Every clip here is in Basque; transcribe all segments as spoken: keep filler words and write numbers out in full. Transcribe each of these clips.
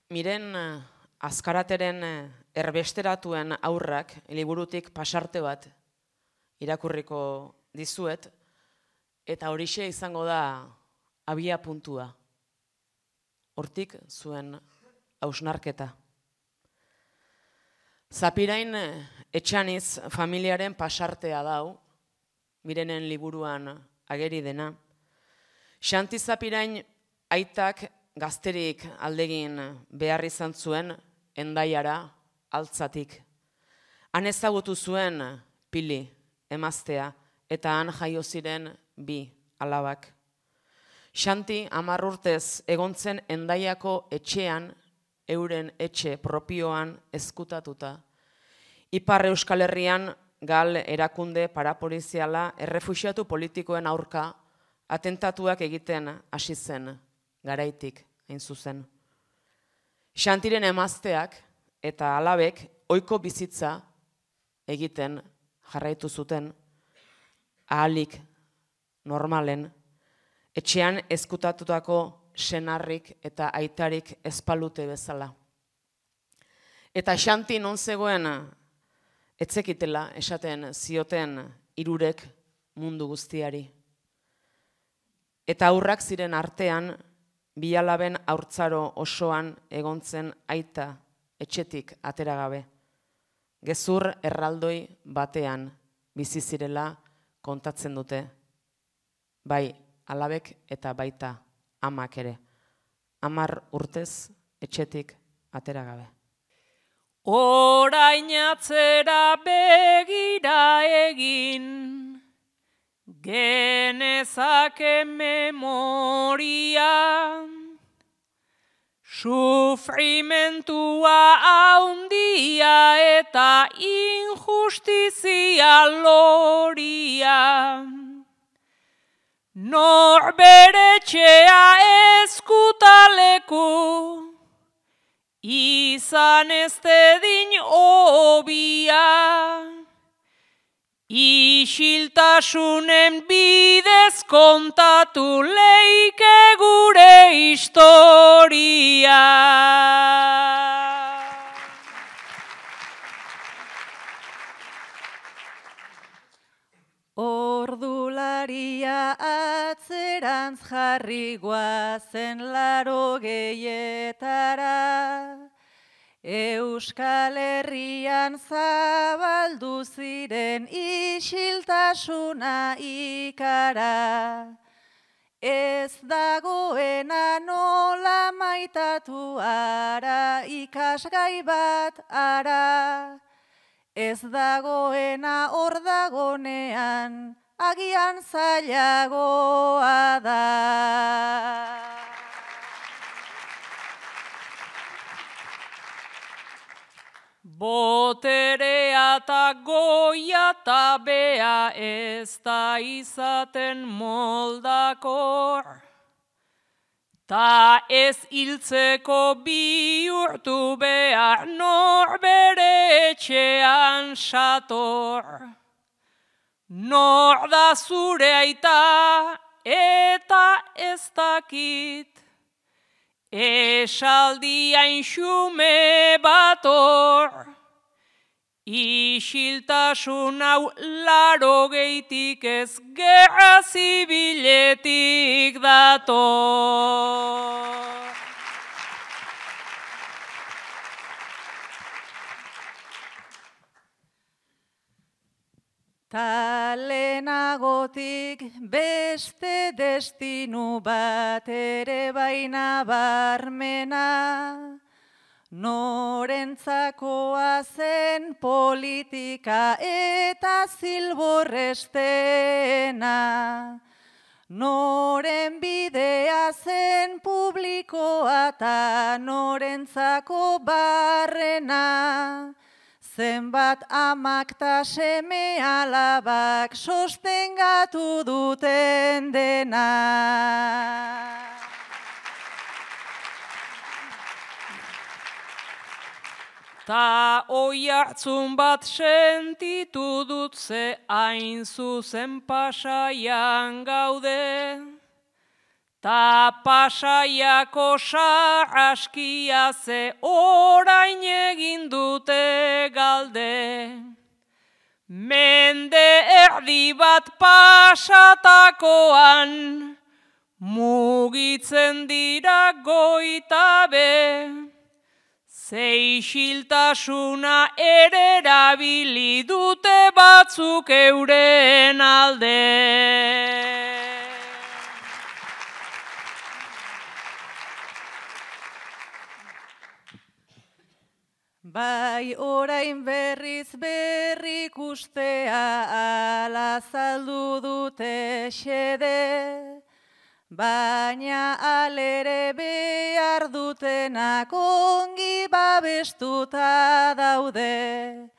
Miren Azkarateren erbesteratuen aurrak liburutik pasarte bat irakurriko dizuet, eta horixe izango da abia puntua. Hortik zuen hausnarketa. Zapirain Etxaniz familiaren pasartea dau, Mirenen liburuan ageri dena. Xanti Zapirain aitak gazterik aldegin behar izan zuen Hendaiara altzatik. Han ezagutu zuen Pili, emaztea, eta han jaio ziren bi alabak. Xanti hamar urtez egontzen Hendaiako etxean, euren etxe propioan ezkutatuta. Ipar Euskal Herrian gal erakunde parapoliziala errefuxiatu politikoen aurka atentatuak egiten hasi zen, garaitik, hain zuzen. Xantiren emazteak eta alabek ohiko bizitza egiten jarraitu zuten, ahalik normalen, etxean ezkutatutako senarrik eta aitarik ezpalute bezala. Eta Xanti non zegoen etzekitela esaten zioten hirurek mundu guztiari. Eta aurrak ziren artean, bi alaben haurtzaro osoan egontzen aita etxetik ateragabe. Gezur erraldoi batean bizi zirela kontatzen dute. Bai alabek eta baita amak ere. Hamar urtez etxetik ateragabe. Orain atzera begira egin, genezake memoria, sufrimentua haundia eta injustizia loria. Norberetxea ezkutaleku, izan ez dedin obia, isiltasunen bidez kontatu leike gure historia. Ordularia atzerantz jarri guazen laro gehietara, Euskal Herrian zabaldu ziren isiltasuna ikara. Ez dagoena nola maitatu ara, ikasgai bat ara. Ez dagoena hor dagonean, agian zailagoa da. Boterea eta goia eta bea ez da izaten moldakor, ta ez hiltzeko bihurtu behar norbere etxean sator. Nor da zure aita eta ez dakit, esaldi hain xume bator, isiltasun hau laro geitik ez gerra zibiletik dator. Ta lehenagotik beste destinu bat ere baina barmena, norentzakoa zen politika eta zilborrestena, noren bidea zen publikoa eta norentzako barrena, zenbat amak ta seme alabak sostengatu duten dena. Ta oi hartzun bat sentitu dut ze hain zuzen pasaian gaude, Ta Pasaiako sarraskia ze orain egin dute galde. Mende erdi bat pasatakoan, mugitzen dira goitabe. Zeixiltasuna ere erabili dute batzuk euren alde. Bai orain berriz berrikustea ala zaldu dute xede, baina alere behar dutenak ongi babestuta daude.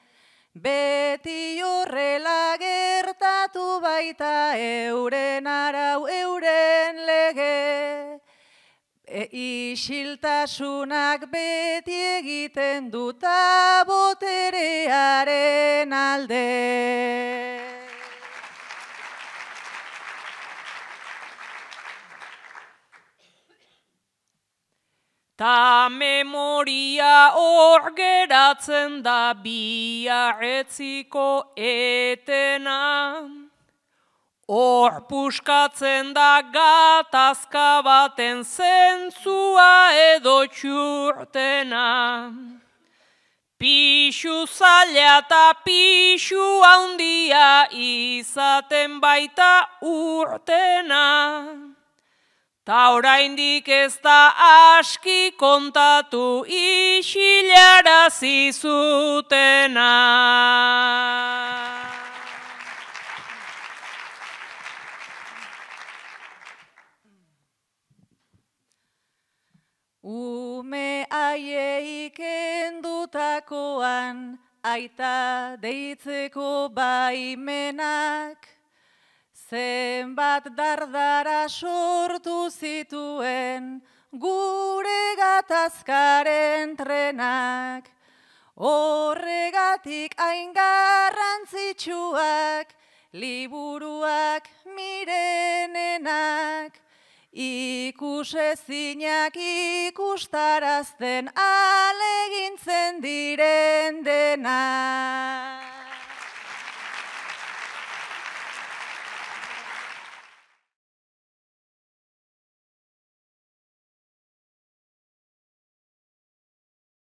Beti horrela gertatu baita euren arau euren lege. E, isiltasunak beti egiten duta boterearen alde. Ta memoria hor geratzen da biarretziko etena. Hor puskatzen da gatazka baten zentzua edo txurtena. Pixu zaila eta pixu handia izaten baita urtena. Ta oraindik ez da aski kontatu isilarazi zutena. Ume haiei kendutakoan aita deitzeko baimenak, zenbat dardara sortu zituen gure gatazkaren trenak. Horregatik hain garrantzitsuak liburuak mirenenak, ikusezinak ikustarazten alegintzen diren denak.